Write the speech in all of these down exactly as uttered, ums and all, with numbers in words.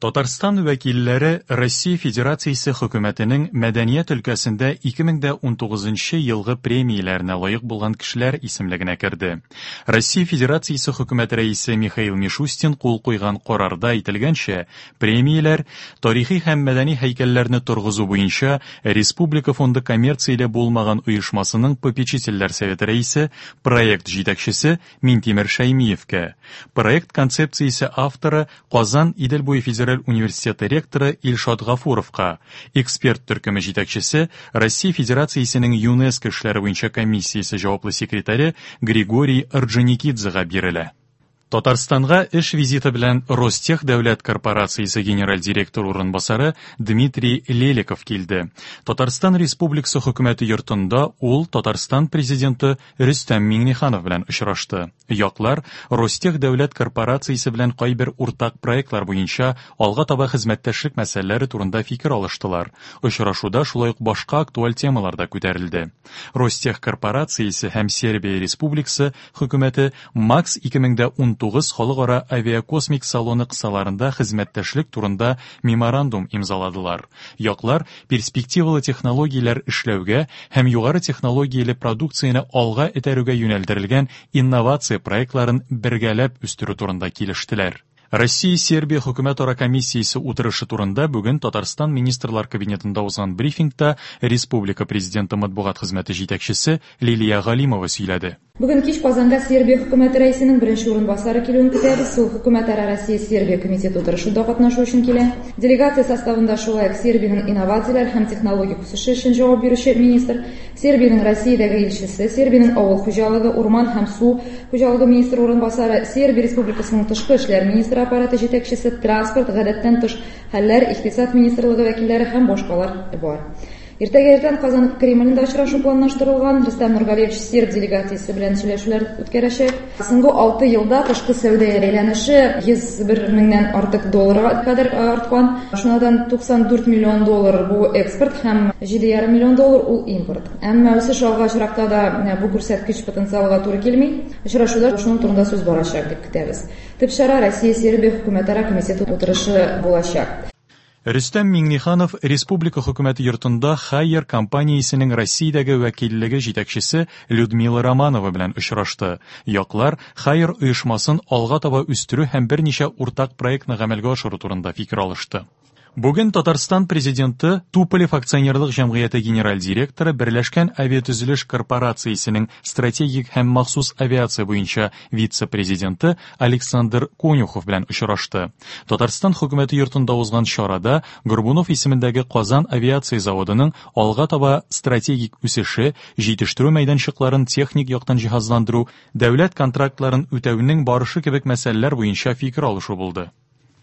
Татарстан вәкилләре Россия Федерациясе хөкүмәтенең мәдәният өлкәсендә ике мең дә унтугызынчы елгы премияләренә лаек булган кешеләр исемлегенә керде. Россия Федерациясе хөкүмәт рәисе Михаил Мишустин кул куйган карарда әйтелгәнчә, премияләр тарихи һәм мәдәни һәйкәлләрне торгызу буенча Республика фонды коммерцияле булмаган оешмасының попечительләр советы рәисе, проект җитәкчесе Минтимер Шәймиевкә, проект концепциясе авторы Казан Идел буе федераль университеты ректоры Илшат Гафуровка, эксперт төркеме җитәкчесе Россия Федерациясенең ЮНЕСКО эшләре буенча комиссиясе җаваплы секретаре Григорий Орджоникидзега бирелә. Татарстанга эш визиты белән Ростех дәүләт корпорациясе генераль директор урынбасары Дмитрий Леликов килде. Татарстан Республикасы хөкүмәте йортында ул Татарстан президенты Рөстәм Миңнеханов белән очрашты. Яклар Ростех дәүләт корпорациясе белән кайбер уртак проектлар буенча алга таба хезмәттәшлек мәсьәләләре турында фикер алыштылар. Очрашуда шулай ук башка актуаль темалар да күтәрелде. Ростех корпорациясе һәм Сербия Республикасы хөкүмәте МАКС ике мең дә унтугыз халыкара авиакосмик салоны кысаларында хезмәттәшлек турында меморандум имзаладылар. Яклар перспективалы технологияләр эшләүгә һәм югары технологияле продукцияне алга этәрүгә юнәлдерелгән инновация проектларын бергәләп үстерү турында килештеләр. Россия-Сербия хөкүмәтара комиссиясе утырышы турында бүген Татарстан Министрлар Кабинетында узган брифингта Республика Президенты матбугат хезмәте җитәкчесе Лилия Галимова сөйләде. Бүген кич Казанга Сербия хөкүмәте рәисенең беренче урынбасары килүен көтәбез. Ул хөкүмәтара Россия-Сербия комитеты утырышында катнашу өчен килә. Делегация составында шулай ук Сербиянең инновацияләр һәм технологик үсеше өчен җавап бирүче министр, Сербиянең Россиядәге илчесе, Сербиянең авыл хуҗалыгы, урман һәм су хуҗалыгы министры урынбасары, Сербия Республикасының тышкы эшләр министры аппараты җитәкчесе, транспорт, гадәттән тыш хәлләр, икътисад министрлыгы вәкилләре һәм башкалар бар. Иртәгә иртән Казан Кремлендә очрашу планлаштырылган. Рөстәм Нургалиевич серб делегациясе белән сөйләшүләр үткәрәчәк. Соңгы алты елда тышкы сәүдә әйләнеше йөз бер меңнән артык долларга кадәр арткан. Шуннан туксан дүрт миллион доллар бу экспорт һәм җиде ярым миллион доллар ул импорт. Әмма үсеш алга очракта да бу күрсәткеч потенциалга туры килми. Очрашуда шуның турында сүз барачак дип көтәбез. Төп чара Россия-Сербия хөкүмәтара комитеты утырышы булачак. Рөстәм Миңнеханов Республика хөкүмәте йортында Хайер компаниясенең Россиядәге вәкиллеге җитәкчесе Людмила Романова белән очрашты. Яклар Хайер оешмасын алга таба үстерү һәм берничә уртак проектны гамәлгә ашыру турында фикер алышты. Бүген Татарстан президенты Туполев акционерлык җәмгыяте генераль директоры Берләшкән авиатөзелеш корпорациясенең стратегик һәм махсус авиация буенча вице-президенты Александр Конюхов белән очрашты. Татарстан хөкүмәте йортында узган чарада Горбунов исемендәге Казан авиация заводының алга таба стратегик үсеше, җитештерү мәйданчыкларын техник яктан җиһазландыру, дәүләт контрактларын үтәүнең барышы кебек мәсьәләләр буенча фикер алышу булды.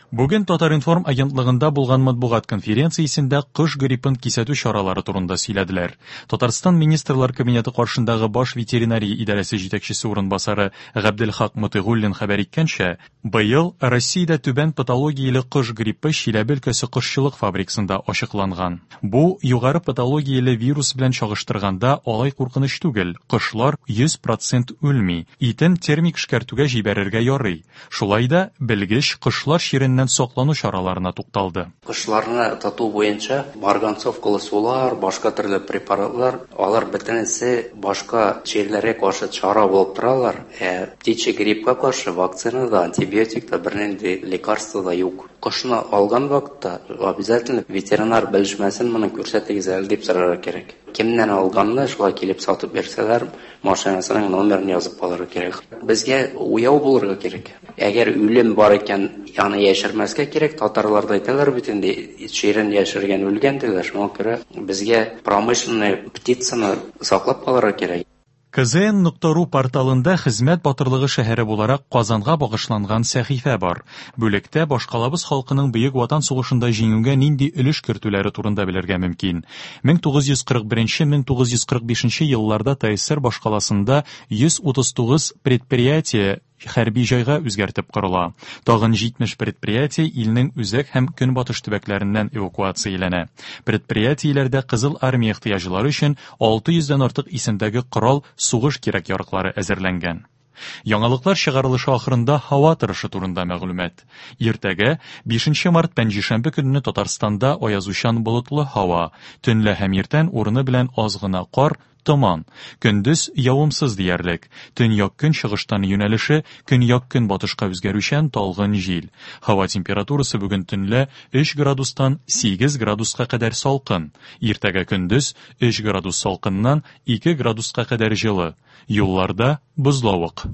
Бүген Татар-информ агентлыгында булган матбугат конференциясендә кош гриппын кисәтү чаралары турында сөйләделәр. Татарстан Министрлар Кабинеты каршындагы баш ветеринария идарәсе җитәкчесе урынбасары Габделхак Мотыйгуллин хәбәр иткәнчә, быел Россиядә түбән патологияле кош гриппы Чиләбе өлкәсе кошчылык фабрикасында ачыкланган. Бу югары патологияле вирус белән чагыштырганда алай куркыныч түгел. Кошлар йөз процент үлми. Итен термик эшкәртүгә җибәрергә ярый. Шулай да белгеч кошлар чиреннән саклану чараларына тукталды. Кошларны тоту буенча марганцовкалы сулар, башка төрле препаратлар, алар бөтенесе башка чирләргә каршы чара булып торалар. Ә птичий гриппка каршы вакцина да, антибиотик та, бернинди лекарство да юк. Кошны алган вакытта обязательно ветеринар белешмәсен моны күрсәтегез әле дип сорарга кирәк. Кемнән алганны шулай килеп сатып бирсәләр, машинасының номерын язып алырга кирәк. Безгә уяу булырга кирәк. Әгәр үлем бар икән, аны яшермәскә кирәк. Татарлар да әйтәләр бит инде, чирен яшергән үлгән диләр. Шуңа күрә безгә промышленный птицаны саклап калырга кирәк. К З Н нокта ру порталында хезмәт батырлыгы шәһәре буларак Казанга багышланган сәхифә бар. Бүлектә башкалабыз халкының Бөек Ватан сугышында җиңүгә нинди өлеш кертүләре турында белергә мөмкин. Мең тугыз йөз кырык беренче, мең тугыз йөз кырык бишенче елларда Т С С Р башкаласында йөз утыз тугыз предприятие хәрби җайга үзгәртеп корыла. Тагын җитмеш предприятие илнең үзәк һәм көнбатыш төбәкләреннән эвакуацияләнә. Предприятиеләрдә Кызыл армия ихтыяҗлары өчен алты йөздән артык исемдәге корал сугыш кирәк-яраклары әзерләнгән. Яңалыклар чыгарылышы ахырында һава торышы турында мәгълүмат. Иртәгә, бишенче март пәнҗешәмбе көнне Татарстанда аязучан болытлы һава, төнлә һәм иртән урыны белән аз гына кар, томан. Көндез явымсыз диярлек. Төньяк-көнчыгыштан юнәлеше көньяк-көнбатышка үзгәрүчән талгын җил. Һава температурасы бүген төнлә өч градустан сигез градуска кадәр салкын. Иртәгә көндез өч градус салкыннан ике градуска кадәр җылы. Юлларда бозлавык.